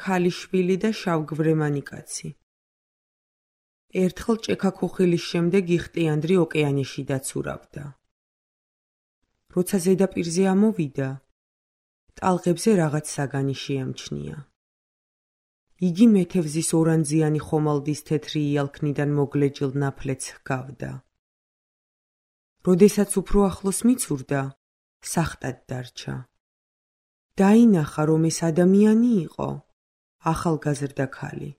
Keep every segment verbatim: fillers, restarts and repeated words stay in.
ქალიშვილი და შავგვრემანი კაცი. ერთხელ ჭექა-ქუხილის შემდეგ იხტიანდრი ოკეანეში დაცურავდა. როცა ზედაპირზე ამოვიდა, ტალღებზე რაღაც საგანი შეამჩნია. იგი მეთევზის ორანძიანი ხომალდის თეთრი იალქნიდან მოგლეჯილ ნაფლეთს ჰგავდა. როდესაც უფრო ახლოს მიცურდა, სახტად დარჩა. დაინახა, რომ ეს ადამიანი იყო, ახალგაზრდა ქალი.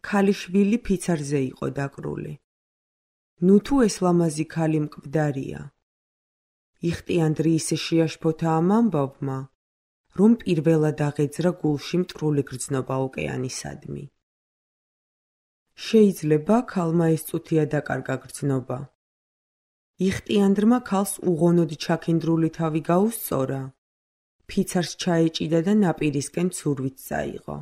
ქალიშვილი ფიცარზე იყო დაკრული. ნუ თუ ეს ლამაზი ქალი მკვდარია. იხტიანდრი ისე შეაშფოთა ამ ამბავმა, რომ პირველად აღეძრა გულში მტრული გრძნობა ოკეანისადმი. შეიძლება ქალმა ეს წუთია დაკარგა გრძნობა. იხტიანდრმა ქალს უღონოდ ჩაქინდრული თავი გაუსწორა, ფიცარს ჩაეჭიდა და ნაპირისკენ ცურვით წაიღო.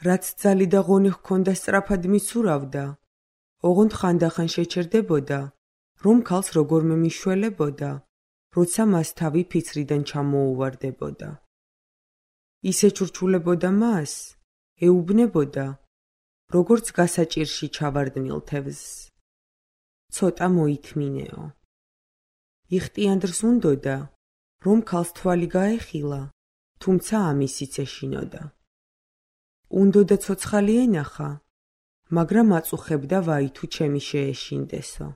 რაც ძალი და ღონე ჰქონდა სწრაფად მიცურავდა, ოღონდ ხანდახან შეჩერდებოდა, რომ ქალს როგორმე მიშველებოდა, როცა მას თავი ფიცრიდან ჩამოუვარდებოდა. ისე ჩურჩულებოდა მას, ეუბნებოდა, როგორც გასაჭირში ჩავარდნილ თევზს. ცოტა მოითმინეო. იხტიანდრს უნდოდა, რომ ქალს თვალი გაეხილა, თუმცა ამისიც ეშინოდა. უნდოდა ცოცხალი ენახა, მაგრამ აწუხებდა ვაი თუ ჩემი შეეშინდესო.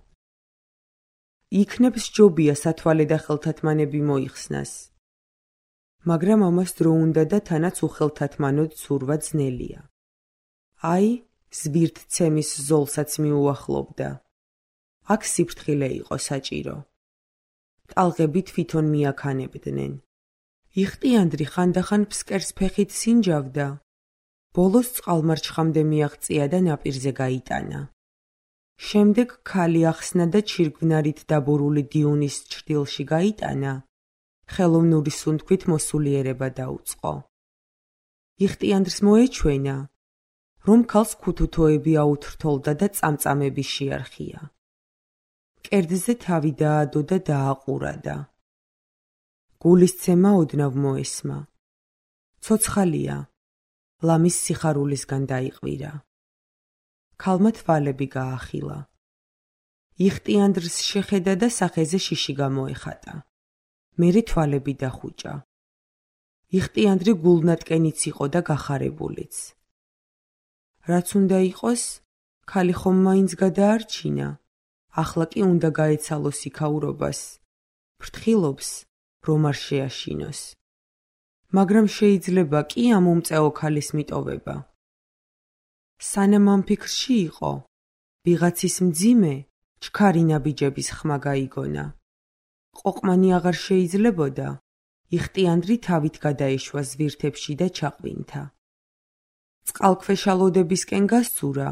იქნებ სჯობია სათვალე და ხელთათმანები მოიხსნას. მაგრამ ამას დრო უნდა და თანაც უხელთათმანოდ ცურვა ძნელია. აი, ზვირთცემის ზოლსაც მიუახლოვდა. აქ სიფრთხილე იყო საჭირო. ტალღები თვითონ მიაქანებდნენ. იხტიანდრი ხანდახან ფსკერს ფეხით სინჯავდა. ბოლოს წყალმარჩხამდე მიაღწია და ნაპირზე გაიტანა. შემდეგ ქალი ახსნა და ჩირგვნარით დაბურული დიუნის ჩრდილში გაიტანა, ხელოვნური სუნთქვით მოსულიერება დაუწყო. იხტიანდრს მოეჩვენა, რომ ქალს ქუთუთოები აუთრთოლდა და წამწამები შეარხია. კერძზე თავი დაადო და დააყურადა. გულისცემა ოდნავ მოესმა. ცოცხალია, ლამის სიხარულისგან დაიყვირა. ქალმა თვალები გაახილა. იხტიანდრს შეხედა და სახეზე შიში გამოეხატა. მერე თვალები დახუჭა. იხტიანდრი გულნატკენიც იყო და გახარებულიც. რაც უნდა იყოს, ქალი ხომ მაინც გადაარჩინა, ახლა კი უნდა გაეცალოს იქაურობას. ფრთხილობს, რომ არ შეაშინოს. მაგრამ შეიძლება კი ამ უმწეო ქალის მიტოვება. სანამ ამ ფიქრში იყო, ვიღაცის მძიმე, ჩქარი ნაბიჯების ხმა გაიგონა. ყოყმანი აღარ შეიძლებოდა, იხტიანდრი თავით გადაეშვა ზვირთებში და ჩაყვინთა. წყალქვეშა ლოდებისკენ გასცურა.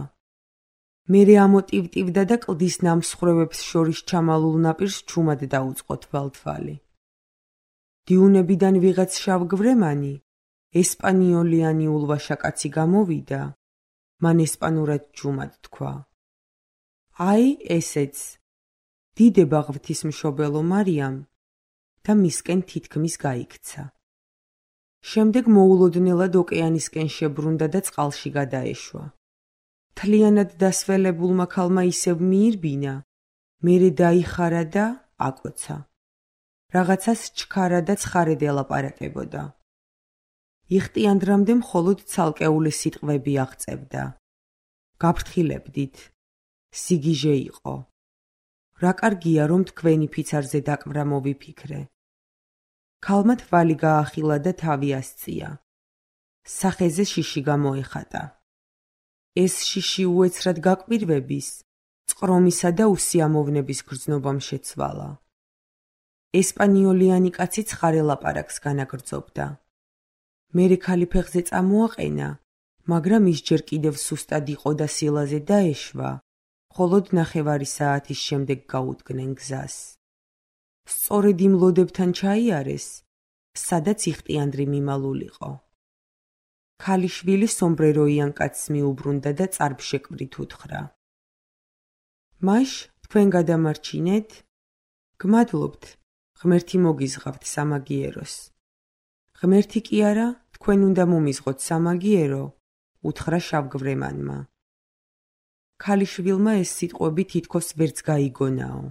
მერე ამოტივტივდა და კლდის ნამსხვრევებს შორის ჩამალულ ნაპირს ჩუმად დაუწყო თვალთვალი. დიუნებიდან ვიღაც შავგვრემანი, ესპანიოლიანი ულვაშა კაცი გამოვიდა, მან ესპანურად ჯუმად თქვა. აი ესეც, დიდება ღვთისმშობელო მარიამ და მისკენ თითქმის გაიქცა. შემდეგ მოულოდნელად ოკეანისკენ შებრუნდა და წყალში გადაეშვა. თლიანად დასველებულმა ქალმა ისევ მიირბინა, მერე დაიხარა და აკოცა. რაღაცას ჩქარა და ცხარედ ელაპარაკებოდა. იხტიანდრამდე მხოლოდ ცალკეული სიტყვები აღწევდა. გაფრთხილებდით, სიგიჟე იყო. რა კარგია, რომ თქვენი ფიცარზე დაკვრა მოვიფიქრე. ქალმა თვალი გაახილა და თავი ასწია. სახეზე შიში გამოეხატა. ეს შიში უეცრად გაკვირვების, წყრომისა და უსიამოვნების გრძნობამ შეცვალა. ესპანიოლიანი კაცი ცხარე ლაპარაკს განაგრძობდა. მერე ქალი ფეხზე წამოაყენა, მაგრამ ის ჯერ კიდევ სუსტად იყო და სილაზე დაეშვა, მხოლოდ ნახევარი საათის შემდეგ გაუდგნენ გზას. სწორედ იმ ლოდებთან ჩაიარეს, სადაც იხტიანდრი მიმალულიყო. ქალიშვილი სომბრეროიან კაცს მიუბრუნდა და წარბშეკვრით უთხრა. მაშ, თქვენ გადამარჩინეთ? გმადლობთ, ღმერთი მოგიზღავთ სამაგიეროს. ღმერთი კი არა, თქვენ უნდა მომიზღოთ სამაგიერო, უთხრა შავგვრემანმა. ქალიშვილმა ეს სიტყვები თითქოს ვერც გაიგონაო.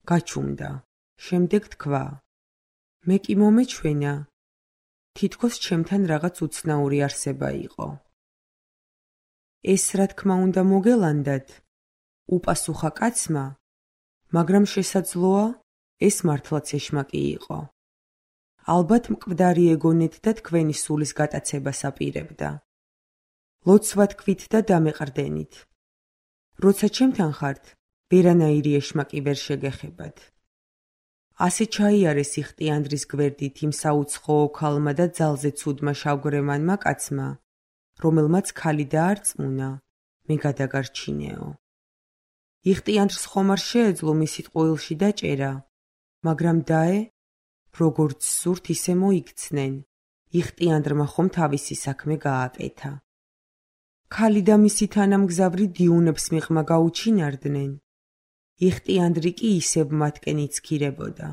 გაჩუმდა. შემდეგ თქვა: მე კი მომეჩვენა, თითქოს ჩემთან რაღაც უცნაური არსება იყო. ეს რა თქმა უნდა მოგელანდათ, უპასუხა კაცმა, მაგრამ შესაძლოა, ეს მართლაც ეშმაკი იყო. ალბათ მკვდარი ეგონეთ და თქვენი სულის გატაცებას აპირებდა. ლოცვა თქვით და დამეყრდენით. როცა ჩემთან ხართ, ვერანაირი ეშმაკი ვერ შეგეხებათ. ასე ჩაიარეს იხტიანდრის გვერდით იმ საუცხოო ქალმა და ძალზე ცუდმა შავგვრემანმა კაცმა, რომელმაც ქალი დაარწმუნა, მე გადაგარჩინეო. იხტიანდრს ხომ არ შეეძლო მისი ტყუილში დაჭერა, მაგრამ დაე, როგორც სურთ ისე მოიქცნენ, იხტიანდრმა ხომ თავისი საქმე გააკეთა. ქალი და მისი თანამგზავრი დიუნებს მიღმა გაუჩინარდნენ, იხტიანდრი კი ისევ მათკენ იცქირებოდა.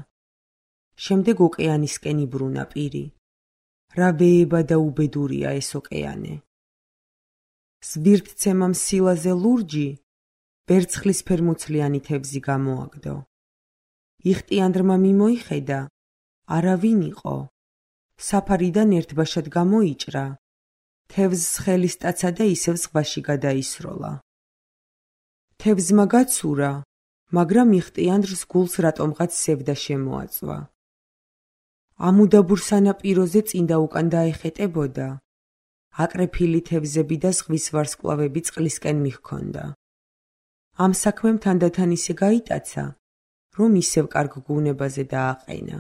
შემდეგ ოკეანისკენ იბრუნა პირი. რა ვეება და უბედურია ეს ოკეანე. სვირთცემამ სილაზე ლურჯი, ვერცხლისფერმუცლიანი თევზი გამოაგდო. იხტიანდრმა მიმოიხედა, არავინ იყო. საფარიდან ერთბაშად გამოიჭრა. თევზს ხელის ტაცა და ისევ ზღვაში გადაისროლა. თევზმა გაცურა, მაგრამ იხტიანდრს გულს რატომღაც სევდა შემოაწვა. ამუდაბურ სანაპიროზე წინ და უკან დაეხეტებოდა. აკრეფილი თევზები და ზღვის ვარსკვლავები წყლისკენ მიჰქონდა. ამ საქმემ თანდათან ისე გაიტაცა, რომ ისევ კარგ გუნებაზე დააყენა.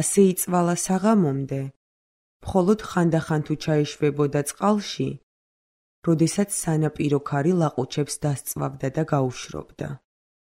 ასე იწვალა საღამომდე, მხოლოდ ხანდახან თუ ჩაეშვებოდა წყალში, როდესაც სანაპირო ქარი ლაყუჩებს დასწვავდა და გაუშრობდა.